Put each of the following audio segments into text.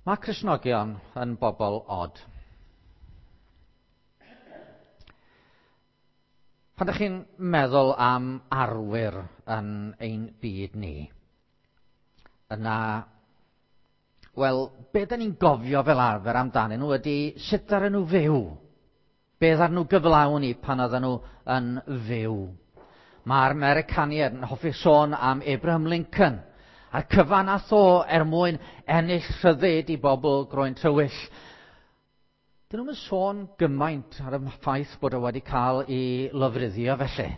Mae Cristnogion yn bobl od. Pan ydych chi'n meddwl am arwyr yn ein byd ni, yna, wel, be da ni'n gofio fel arfer amdanyn nhw ydy sut ddaru nhw fyw. Be ddaru nhw gyflawni pan oedden nhw yn fyw. Mae'r Americaniaid yn hoffi sôn am Abraham Lincoln, a'r cyfan nath o er mwyn ennill rhyddid i bobl groen tywyll. Dyn nhw'm yn sôn gymaint ar y ffaith bod o wedi cael ei lofruddio felly,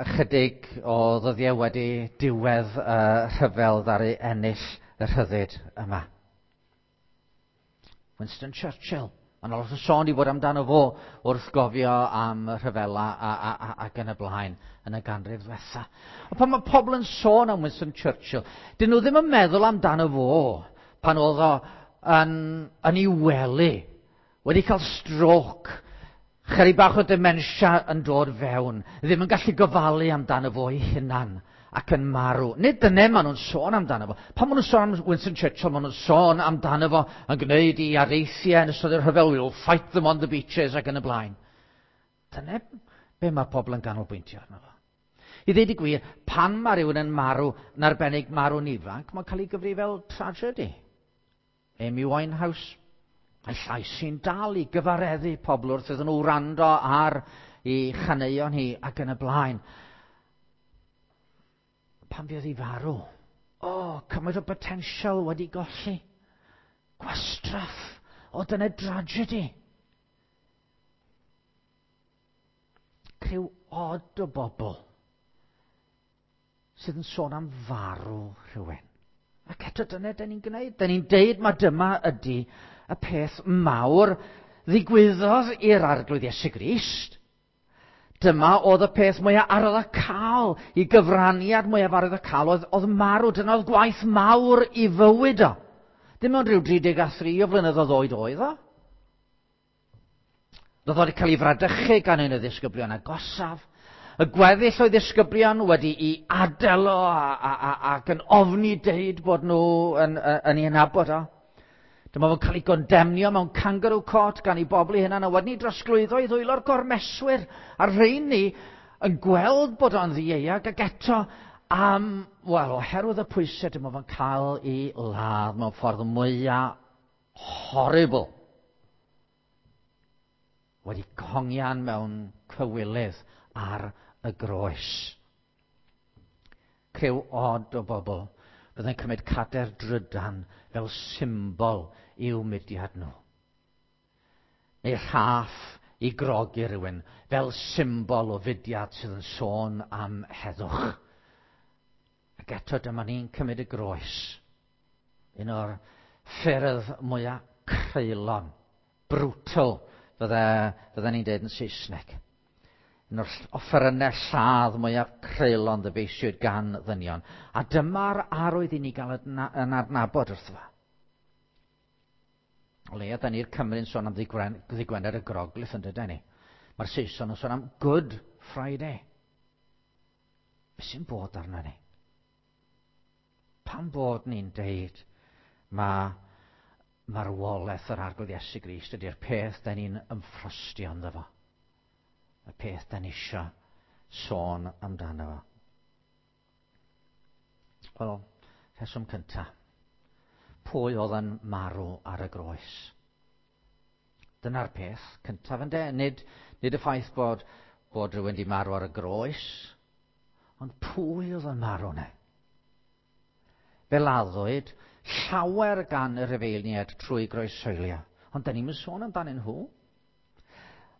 ychydig o ddyddiau wedi diwedd y rhyfel ddaru ennill y rhyddid yma. Winston Churchill. Mae'n lot o sôn i fod amdano fo wrth gofio am y rhyfela a, a, a, ac yn y blaen yn y ganrif ddwetha. Ond pan mae pobl yn sôn am Winston Churchill, dyn nhw ddim yn meddwl amdano fo pan oedd o yn, yn ei wely, wedi cael stroc, chydig bach o dementia yn dod fewn, ddim yn gallu gofalu amdano fo ei hunan ac yn marw. Nid dyna maen nhw'n sôn amdano fo. Pan maen nhw'n sôn am Winston Churchill, maen nhw'n sôn amdano fo yn gwneud i areithiau yn ystod y rhyfel, we'll fight them on the beaches ac yn y blaen. Dyna be mae pobl yn ganolbwyntio arno fo. I ddeud y gwir, pan mae rhywun yn marw, yn arbennig marw'n ifanc, mae'n cael ei gyfri fel tragedy. Amy Winehouse, mae llais sy'n dal i gyfareddu pobl wrth iddyn nhw wrando ar ei chaneuon hi ac yn y blaen. Pan fuodd hi farw, o, oh, cymaint o potensial wedi golli. Gwastraff, o dyna dragedy. Criw od o bobl sydd yn sôn am farw rhywun. Ac eto dyna dyn ni'n gwneud. Dyn ni'n deud mae dyma ydy y peth mawr ddigwyddodd i'r Arglwydd Iesu Grist. Dyma oedd y peth mwyaf arwyddocaol, i gyfraniad mwyaf arwyddocaol oedd, oedd marw. Dyna oedd gwaith mawr i fywyd o. Dim ond rhyw 33 o flynyddoedd oed oedd o. Roedd wedi cael ei fradychu gan un o ddisgyblion agosaf. Y gweddill o'i ddisgyblion wedi i adael o a, a, a, ac yn ofni deud bod nhw yn, yn, yn ei nabod o. Dyma fo'n cael ei gondemnio mewn kangaroo court gan ei bobl ei hunan a wedyn ei drosglwyddo i ddwylo'r gormeswyr. A rheini yn gweld bod o'n ddieuog ac eto am, wel, oherwydd y pwysau dyma fo'n cael ei ladd mewn ffordd mwyaf horrible. Wedi hongian mewn cywilydd ar y groes. Criw od o bobl byddai'n cymryd cader drydan fel symbol i'w mudiad nhw. Neu rhaff i grogi rhywun fel symbol o fudiad sydd yn sôn am heddwch. Ac eto dyma ni'n cymryd y groes. Un o'r ffyrdd mwyaf creulon, brutal, fydde, fydde ni'n dweud yn Saesneg. Un o'r offerynnau lladd mwyaf creulon ddyfeisiwyd gan ddynion. A dyma'r arwydd i ni gael yn adnabod wrtho fo. O leia, da ni'r Cymru'n sôn am ddydd Gwener y Groglith yn dydyn ni. Mae'r Saeson yn sôn am Good Friday. Be sy'n bod arno ni? Pam bod ni'n deud mae marwolaeth yr Arglwydd Iesu Grist ydy'r peth da ni'n ymffrostio ynddo fo. Y peth da ni isio sôn amdano fo. Wel, rheswm cyntaf. Pwy oedd yn marw ar y groes? Dyna'r peth cyntaf ynde. Nid, nid y ffaith bod, bod rhywun wedi marw ar y groes, ond pwy oedd yn marw ne? Fe laddwyd llawer gan y Rhufeiniaid trwy groeshoelio, ond da ni'n sôn amdanyn nhw.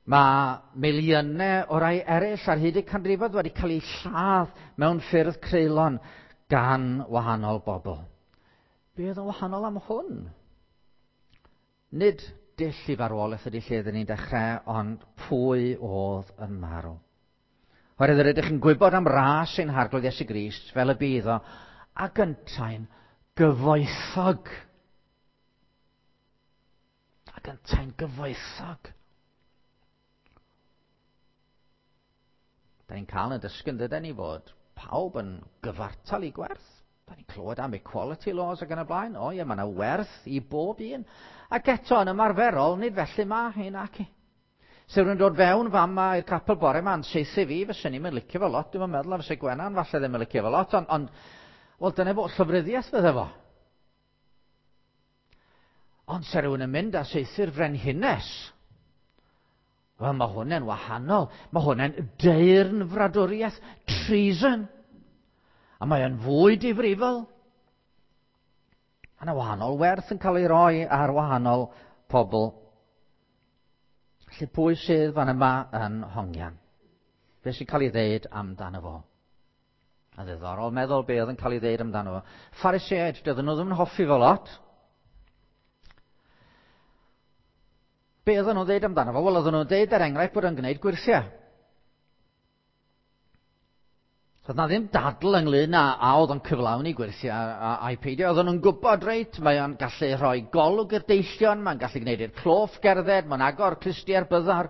Mae miliynau o rai eraill ar hyd y canrifoedd wedi cael eu lladd mewn ffyrdd creulon gan wahanol bobl. Be oedd yn wahanol am hwn? Nid dull i farwolaeth ydy lle ydyn ni'n dechrau, ond pwy oedd yn marw. Oherwydd yr ydych chi'n gwybod am ras ein Harglwydd Iesu Grist fel y bydd o, ac yntau'n gyfoethog. Ac yntau'n gyfoethog. Da ni'n cael yn dysgu yn dydyn ni fod pawb yn gyfartal i gwerth. Da ni'n clywed am equality laws ac yn y blaen. O ie, mae yna werth i bob un. Ac eto, yn ymarferol, nid felly mae hyn ac i. Se rwy'n dod fewn fama i'r capel bore ma'n seithi fi, fyswn i'n mynd licio fo lot, dwi'n meddwl a fysa Gwenan falle ddim yn licio fo lot, ond, ond wel, dyna fo, llofruddiaeth fydde fo. Ond se rhywun yn mynd a saethu'r frenhines, wel, mae hwn wahanol. Mae hwn yn deyrn fradwriaeth, treason. A mae o'n fwy difrifol. Mae yna wahanol werth yn cael ei roi ar wahanol pobl. Felly pwy sydd fan yma yn hongian? Be sy'n cael ei ddeud amdano fo? A ddiddorol meddwl be oedd yn cael ei ddeud amdano fo. Phariseaid, doedden nhw ddim yn hoffi fo lot. Be oedden nhw'n ddeud amdano fo? Wel, oedden nhw'n deud er enghraifft bod o'n gwneud gwyrthiau. So, oedd na ddim dadl ynglyn â a oedd o'n cyflawni gwyrthiau a'i peidio. Oedden nhw'n gwybod, reit, mae o'n gallu rhoi golwg i'r deillion, mae'n gallu gwneud i'r cloff gerdded, mae'n agor clustiau'r byddar,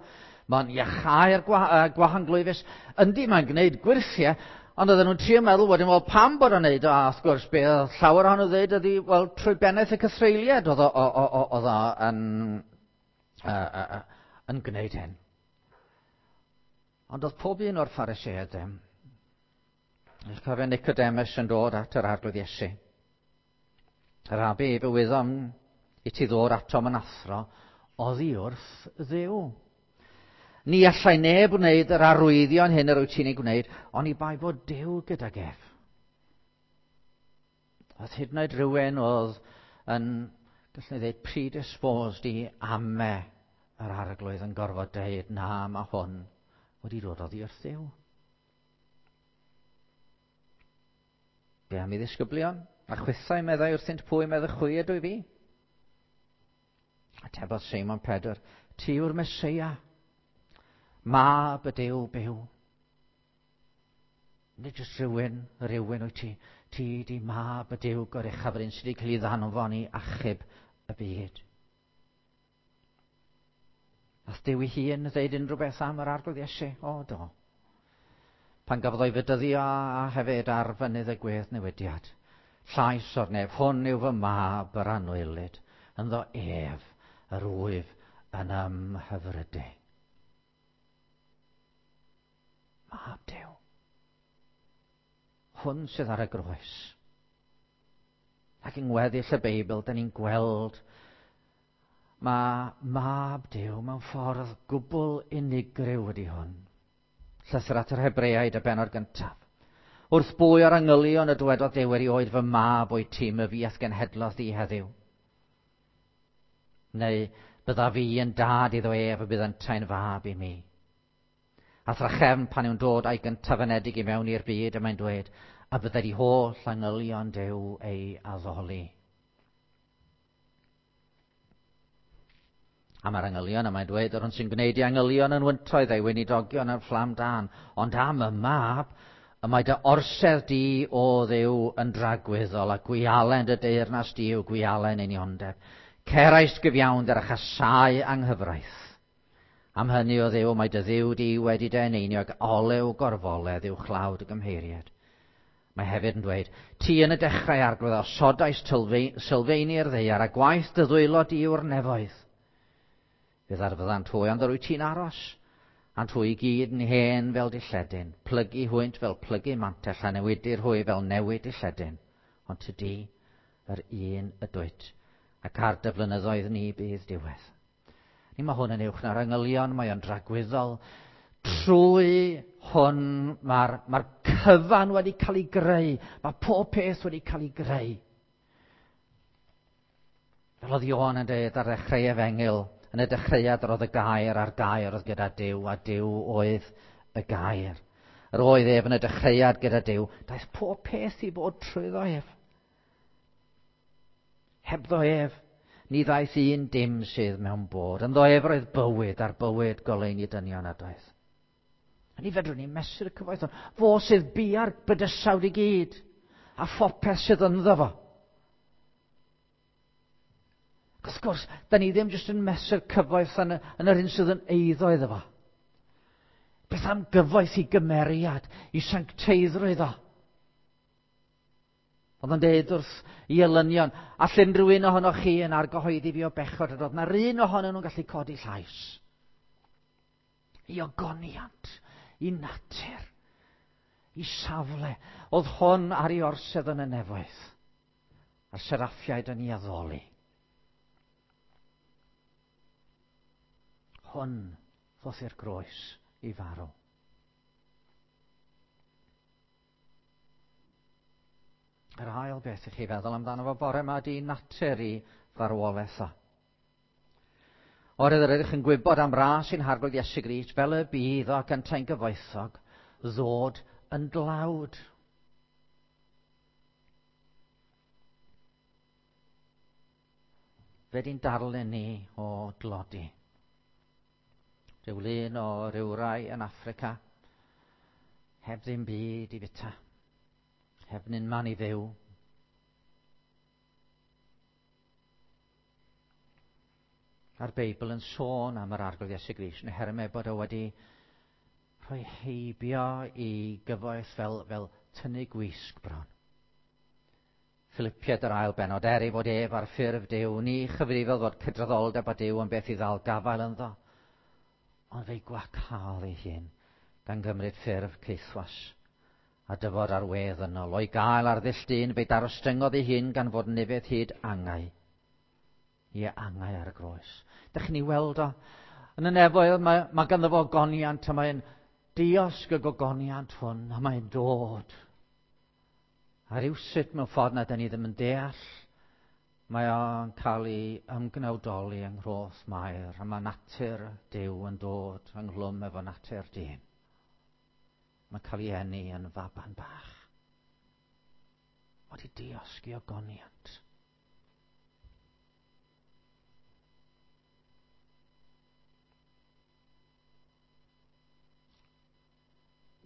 mae'n iachau'r gwahanglwyfus. Yndi, mae'n gwneud gwyrthiau, ond oedden nhw'n trio meddwl wedyn, wel, pam bod o'n neud o? A wrth gwrs, be oedd llawer ohonyn nhw ddeud ydi, wel, trwy bennaeth y cythreuliad oedd o yn, yn gwneud hyn. Ond oedd pob un o'r Phariseaid ddim. Eich cofio Nicodemus yn dod at yr Arglwydd Iesu. Yr Rabi, fe wyddom i ti ddod atom yn athro oddi wrth Dduw. Ni allai neb wneud yr arwyddion hyn yr wyt ti'n ei gwneud, ond i bai fod Duw gydag ef. Oedd hyd yn oed rhywun oedd yn, gallwn ni ddweud, predisposed i ame yr Arglwydd yn gorfod dweud, na, mae hwn wedi dod oddi wrth Dduw. Be am i ddisgyblion? A chwithau meddai wrthynt pwy meddai chwi ydw i fi? Atebodd Seimon Pedr, ti yw'r Meseia, mab y Duw byw. Nid jyst rhywun, rhywun wyt ti. Ti di mab y Duw goruchaf, yr un sydd wedi cael ei ddanfon i achub y byd. Nath Duw ei hun ddeud unrhyw beth am yr Arglwydd Iesu? O, do. Pan gafodd o'i fedyddio a hefyd ar fynydd y gwedd newidiad. Llais o'r nef, hwn yw fy mab yr anwylyd, ynddo ef yr wyf yn ymhyfrydu. Mab Duw. Hwn sydd ar y groes. Ac yng ngweddill y Beibl, da ni'n gweld mae mab Duw mewn ffordd gwbl unigryw ydy hwn. Llythyr at yr Hebreaid y bennod gyntaf. Wrth bwy o'r angylion y dywedodd Duw erioed fy mab o'i tîm y fi ath genhedlodd di heddiw? Neu bydda fi yn dad iddo ef y bydd yntau'n fab i mi. A thrachefn pan yw'n dod a'i gyntaf anedig i mewn i'r byd y mae'n dweud, a byddai di holl angylion Duw ei addoli. A mae'r angylion, a mae'n dweud, yr hwn sy'n gwneud i angylion yn wyntoedd a'i weinidogion yn fflam dan. Ond am y mab, y mae dy orsedd di o Dduw yn dragwyddol, a gwialen dy deyrnas di yw gwialen uniondeb. Ceraist gyfiawnder a chasau anghyfraith. Am hynny o Dduw, mae dy Dduw di wedi dy eneinio ag olew gorfoledd i'w chlawd y gymheiriad. Mae hefyd yn dweud, ti yn y dechrau Arglwydd osodais sylfeini'r ddaear a gwaith dy ddwylo di yw'r nefoedd. Fe ddarfyddant hwy, ond yr wyt ti'n aros, a'nt hwy i gyd yn hen fel dilledyn, plygu hwynt fel plygu mantell a newidir hwy fel newid dilledyn. Ond ty di, yr un ydwyt, ac ar dy flynyddoedd ni bydd diwedd. Ni mae hwn yn uwch na'r angylion, mae o'n dragwyddol. Trwy hwn mae'r mae cyfan wedi cael ei greu. Mae pob peth wedi cael ei greu. Fel oedd Ioan yn dweud ar ddechrau efengyl, yn y dechreuad yr oedd y gair a'r gair oedd gyda Duw, a Duw oedd y gair. Yr oedd ef yn y dechreuad gyda Duw. Daeth pob peth i fod trwyddo ef. Hebddo ef, ni ddaeth un dim sydd mewn bod. Ynddo ef roedd bywyd a'r bywyd goleuni dynion ydoedd. A ni fedrwn ni mesur y cyfoeth hwn. Fo sydd bia'r bydysawd i gyd, a phopeth sydd ynddo fo. Ac wrth gwrs, da ni ddim jyst yn mesur cyfoeth yn, yn yr hyn sydd yn eiddo iddo fo. Beth am gyfoeth i gymeriad, i sancteiddrwydd o? Oedd o'n deud wrth i elynion, all unrhyw un ohonoch chi yn argyhoeddi fi o bechod, a doedd na'r un ohonyn nhw'n gallu codi llais. I ogoniant, i natur, i safle. Oedd hwn ar ei orsedd yn y nefoedd, a'r seraffiaid yn ei addoli. Hwn ddoth i'r groes i farw. Yr ail beth i chi feddwl amdano fo bore yma ydy natur i farwolaeth o. Oherwydd yr ydych yn gwybod am ras i'n Harglwydd Iesu Grist, fel y bydd o ac yntau'n gyfoethog, ddod yn dlawd. Fe di'n darlun ni o dlodi. Rhyw lun o rywrai yn Affrica, heb ddim byd i fita, heb nunman i fyw. A'r Beibl yn sôn am yr Arglwydd Iesu Grist, yn hermau bod o wedi rhoi heibio i gyfoeth fel tynnu gwisg bron. Philipiaid yr ail bennod, er ei fod ef ar ffurf Duw, ni chyfrifodd fod cydraddoldeb â Duw yn beth i ddal gafael ynddo, ond fe'i gwacaodd ei hun, gan gymryd ffurf caethwas, a dyfod ar wedd ynol. O'i gael ar ddull dyn, fe'i darostyngodd ei hun gan fod nefedd hyd angau. Ie, angau ar y groes. Dych chi'n ei weld o? Yn y nefoedd, mae ganddo fo ogoniant, a mae'n diosg y gogoniant hwn, a mae'n dod. A rywsut mewn ffordd na dyn ni ddim yn deall, mae o'n cael ei ymgnawdoli yng nghroth Mair, a mae natur Duw yn dod ynghlwm efo natur dyn. Mae'n cael ei eni yn faban bach. Wedi diosg i ogoniant.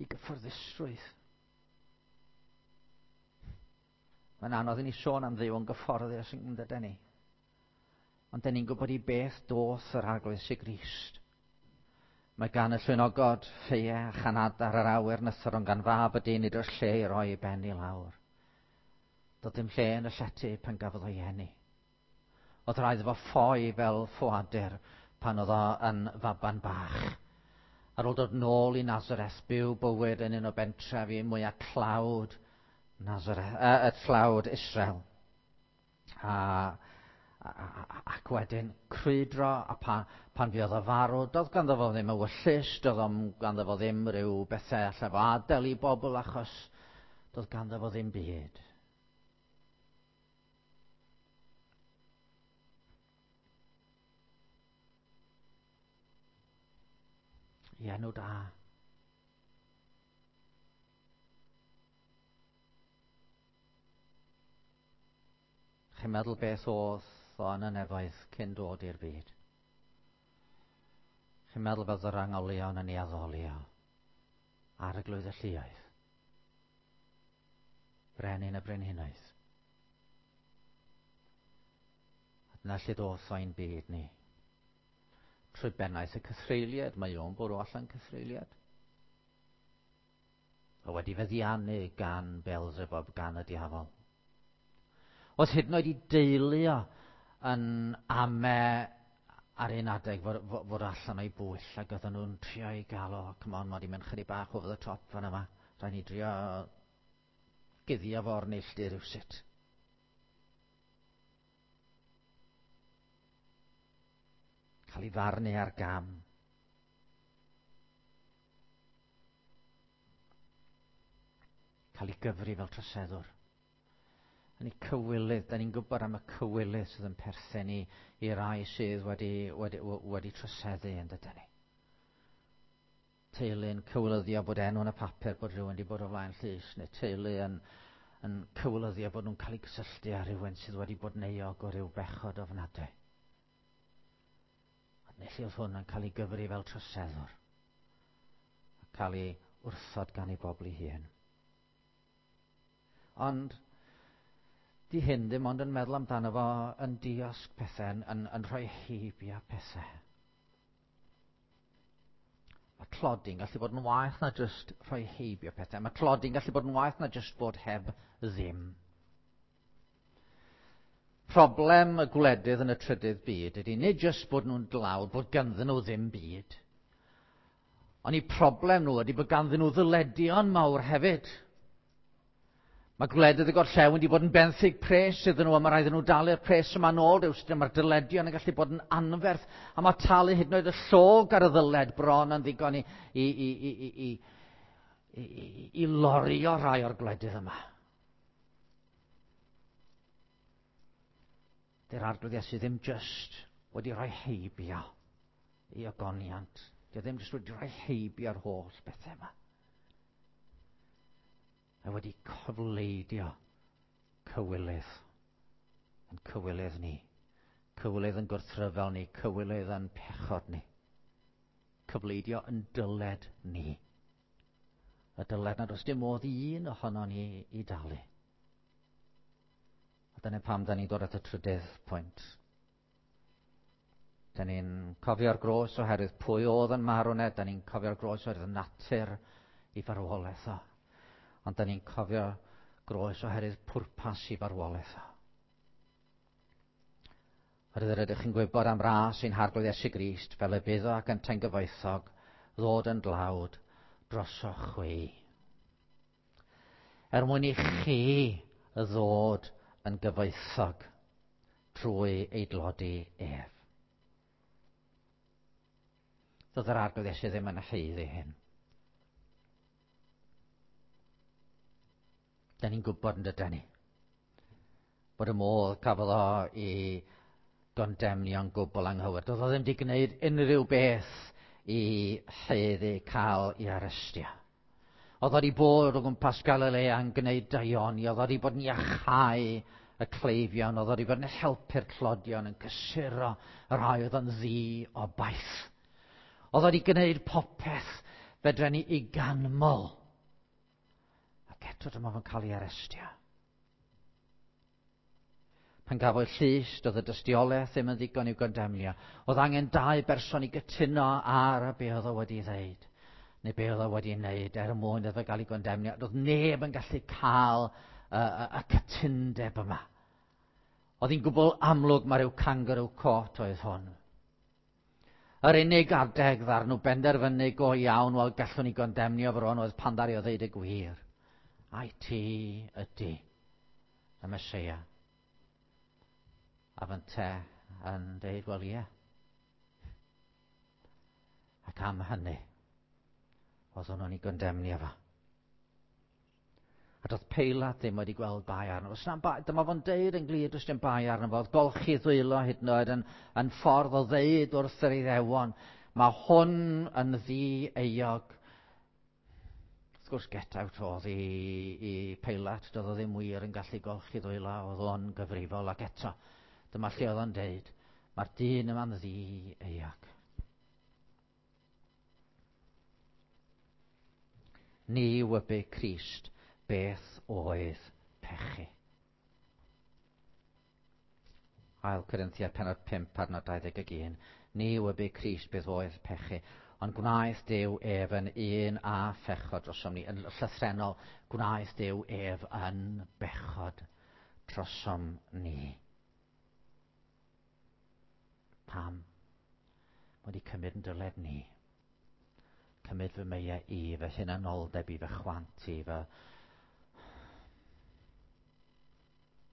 I gyfforddusrwydd. Mae'n anodd i ni sôn am Dduw yn gyfforddus yn dydyn ni. Ond dyn ni'n gwybod i beth doth yr Arglwydd Iesu Grist. Mae gan y llwynogod ffeie a chanad ar yr awyr nythor, ond gan fab y dyn nid oes lle i roi ei ben i lawr. Doedd dim lle yn y llety pan gafodd o'i eni. Oedd rhaid iddo fo ffoi fel ffoadur pan oedd o yn faban bach. Ar ôl dod nôl i Nazareth, byw bywyd yn un o bentrefi mwyaf tlawd Nazareth, y tlawd Israel. Ac wedyn crwydro, a pan fuodd o farw, doedd ganddo fo ddim ewyllys, doedd o'm ganddo fo ddim rhyw bethau allai fo adael i bobl, achos doedd ganddo fo ddim byd. I enw da. Chi'n meddwl beth oedd o yn y nefoedd cyn dod i'r byd? Chi'n meddwl fel yr angolion yn ei addoli o Arglwydd y lluoedd, Brenin y brenhinoedd. A dyna lle doth o'n byd ni. Trwy bennaeth y cythreuliad, mae o'n bwrw allan cythreuliad. O wedi feddiannu gan Beelzebub, gan y diafol. Oedd hyd yn oed i deulu o yn ame ar un adeg fod allan o'i bwyll, ac oedden nhw'n trio i gael o, come on, mae wedi mynd chydig bach over the top fan yma. Rhaid ni drio guddio fo'r neilltu rhywsut. Cael ei farnu ar gam. Cael ei gyfri fel troseddwr. Yn ei cywilydd, da ni'n gwybod am y cywilydd sydd yn perthyn i rai sydd wedi troseddu yn dydyn ni. Teulu'n cywilyddio bod enw yn y papur bod rhywun wedi bod o flaen llys, neu teulu yn cywilyddio bod nhw'n cael eu cysylltu â rhywun sydd wedi bod yn euog o ryw bechod ofnadwy. A neu oedd hwn yn cael ei gyfri fel troseddwr, a cael ei wrthod gan ei bobl ei hun. Ond di hyn ddim ond yn meddwl amdano fo yn diosg pethau, yn rhoi heibio pethau. Mae tlodi'n gallu bod yn waeth na jyst rhoi heibio pethau. Mae tlodi'n gallu bod yn waeth na jyst bod heb ddim. Problem y gwledydd yn y trydydd byd ydy nid jyst bod nhw'n dlawd, bod ganddyn nhw ddim byd. Ond eu problem nhw ydy bod ganddyn nhw ddyledion mawr hefyd. Mae gwledydd y gorllewin wedi bod yn benthyg pres iddyn nhw, a mae rhaid iddyn nhw dalu'r pres yma nôl rywsut, a mae'r dyledion yn gallu bod yn anferth, a mae talu hyd yn oed y llog ar y ddyled bron yn ddigon i, i, i, i, i, i, i, i lorio rhai o'r gwledydd yma. Dy'r Arglwydd Iesu ddim jyst wedi rhoi heibio i ogoniant. Dio ddim jyst wedi rhoi heibio'r holl bethau yma. Mae wedi cofleidio cywilydd yn cywilydd ni. Cywilydd yn gwrthryfel ni, cywilydd yn pechod ni. Cyfleidio yn dyled ni. Y dyled nad oes dim modd i un ohono ni i dalu. A dyna pam da ni'n dod at y trydydd pwynt. Da ni'n cofio'r groes oherwydd pwy oedd yn marw ne, da ni'n cofio'r groes oherwydd natur i farwolaeth o. Ond da ni'n cofio groes oherwydd pwrpas i farwolaeth o. Oherwydd yr ydych chi'n gwybod am ras ein Harglwydd Iesu Grist, fel y bydd o ac yntau'n gyfoethog, ddod yn dlawd drosoch chwi. Er mwyn i chi ddod yn gyfoethog trwy ei dlodi ef. Doedd yr Arglwydd Iesu ddim yn haeddu hyn. Da ni'n gwybod yn dydyn ni bod y modd cafodd o i gondemnio'n gwbl anghywir. Doedd o ddim wedi gwneud unrhyw beth i haeddu cael ei arestio. Oedd o wedi bod o gwmpas Galilea yn gwneud daioni, oedd o wedi bod yn iachau y cleifion, oedd o wedi bod yn helpu'r tlodion, yn cysuro y rhai oedd yn ddi o baith. Oedd o wedi gwneud popeth fedren ni i ganmol. Ac eto dyma fo'n cael ei arestio. Pan gafodd llys, doedd y dystiolaeth ddim yn ddigon i'w gondemnio. Oedd angen dau berson i gytuno ar y be oedd o wedi ddeud, neu be oedd o wedi wneud er mwyn iddo gael ei gondemnio. Doedd neb yn gallu cael y, y, y cytundeb yma. Oedd hi'n gwbl amlwg mae rhyw kangaroo court oedd hwn. Yr unig adeg ddar nhw benderfynu go iawn, wel gallwn ni gondemnio bron oedd pan ddaru o ddeud y gwir. Ai ti ydy y Meseia. A fynte yn deud, wel ie. Ac am hynny, oeddwn nhw'n ei gondemnio fo. A doedd Peilat ddim wedi gweld bai arno fo. Bai, dyma fo'n deud yn glir, does dim bai arno fo. Oedd golchi ddwylo hyd yn oed yn, yn ffordd o ddeud wrth yr Iddewon. Mae hwn yn ddi-euog. Wrth gwrs, get out oedd i, i Peilat. Doedd o ddim wir yn gallu golchi ddwylo, oedd o'n gyfrifol. Ac eto, dyma lle oedd o'n deud, mae'r dyn yma'n ddi-euog. Ni wybu Crist beth oedd pechu. Ail Corinthiaid pennod 5 adnod 21. Ni wybu Crist beth oedd pechu, ond gwnaeth Duw ef yn un a phechod drosom ni. Yn llythrennol, gwnaeth Duw ef yn bechod drosom ni. Pam? Mae wedi cymryd yn dyled ni. Cymryd fy meiau i, fy hunanoldeb i, fy chwant i, fy,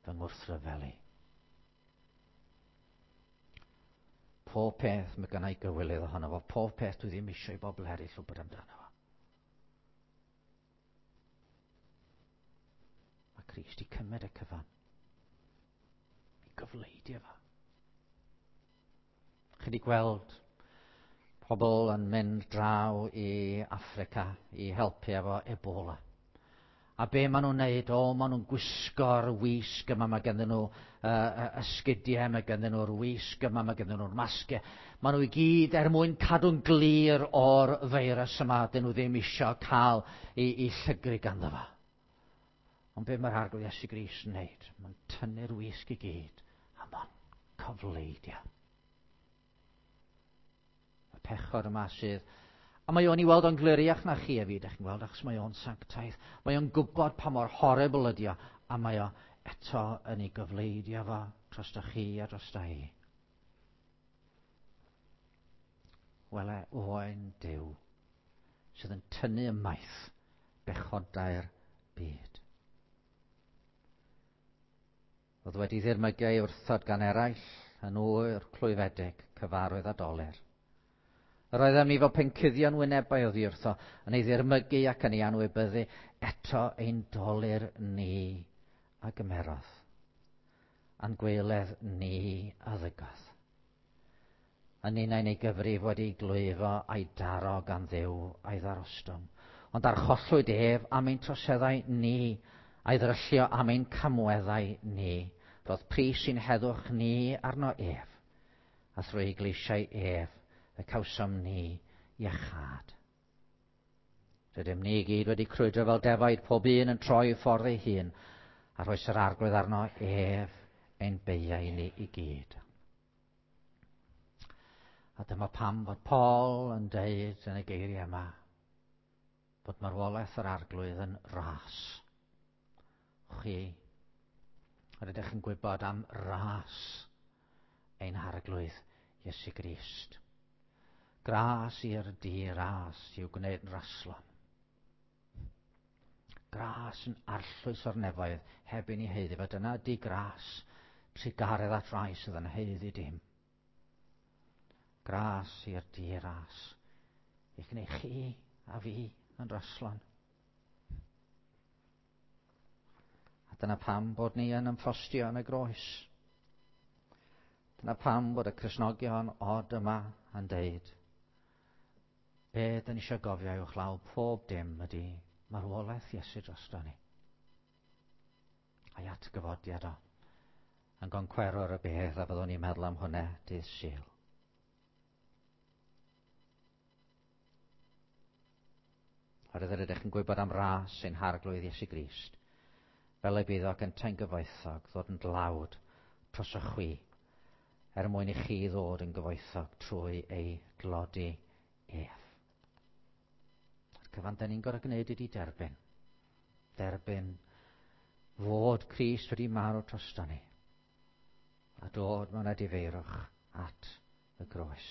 fy ngwrthryfel i. Pob peth mae gennau gywilydd ohono fo, pob peth dwi ddim eisiau i bobl eraill wybod amdano fo. Mae Crist i cymryd y cyfan. I gyfleidio fo. Chi wedi gweld pobl yn mynd draw i Affrica i helpu efo Ebola. A be maen nhw'n neud? O, maen nhw'n gwisgo'r wisg yma, mae ganddyn nhw uh, esgidiau, mae ganddyn nhw'r wisg yma, mae ganddyn nhw'r masgiau. Maen nhw i gyd er mwyn cadw'n glir o'r feirws yma, dyn nhw ddim eisiau cael i, i llygru ganddo fo. Ond be mae'r Arglwydd Iesu Grist yn neud? Mae'n tynnu'r wisg i gyd, a mae'n cyfleidio. Y pechod yma sydd... A mae o'n i weld o'n gliriach na chi a fi, ydych chi'n gweld, achos mae o'n sanctaidd. Mae o'n gwybod pa mor horrible ydi o, a mae o eto yn ei gyfleidio fo drosto chi a drosto i. Wele oen Duw sydd yn tynnu ymaith bechodau'r byd. Oedd wedi ddirmygu ei wrthod gan eraill yn ŵr clwyfedig, cyfarwydd a dolur. Yr oeddem ni fel pencuddion wynebau oddi wrtho, yn ei ddirmygu ac yn ei anwybyddu, eto ein dolur ni a gymerodd, a'n gwaeledd ni a ddygodd. A ninnau'n ei gyfrif wedi ei glwyfo a'i daro gan Dduw a'i ddarostwng. Ond archollwyd ef am ein troseddau ni, a'i ddryllio am ein camweddau ni. Roedd pris i'n heddwch ni arno ef, a thrwy ei gleisiau ef y cawsom ni iachâd. Rydym ni i gyd wedi crwydro fel defaid, pob un yn troi ffordd ei hun, a rhoes yr Arglwydd arno ef ein beiau ni i gyd. A dyma pam fod Paul yn deud yn y geiriau yma bod marwolaeth yr Arglwydd yn ras. Chi, yr ydych yn gwybod am ras ein Harglwydd Iesu Grist. Gras i'r di-ras i'w gwneud yn raslon. Gras yn arllwys o'r nefoedd heb i ni haeddu fo. Dyna di gras, trugaredd at rai sydd yn haeddu dim. Gras i'r di-ras i gwneud chi a fi yn raslon. A dyna pam bod ni yn ymffrostio yn y groes. Dyna pam bod y Cristnogion od yma yn deud, be dyn ni eisiau gofio uwchlaw pob dim ydy marwolaeth Iesu drosto ni. A'i atgyfodiad o yn goncwerwr y bedd, a fyddwn ni'n meddwl am hwnna dydd Sul. Oherwydd yr ydych yn gwybod am ras ein Harglwydd Iesu Grist, fel y bydd o gyntau'n gyfoethog ddod yn dlawd drosoch chwi, er mwyn i chi ddod yn gyfoethog trwy ei dlodi ef. A'r cyfan da ni'n gorfod gwneud ydy derbyn. Derbyn fod Crist wedi marw drosto ni a dod mewn edifeirwch at y groes.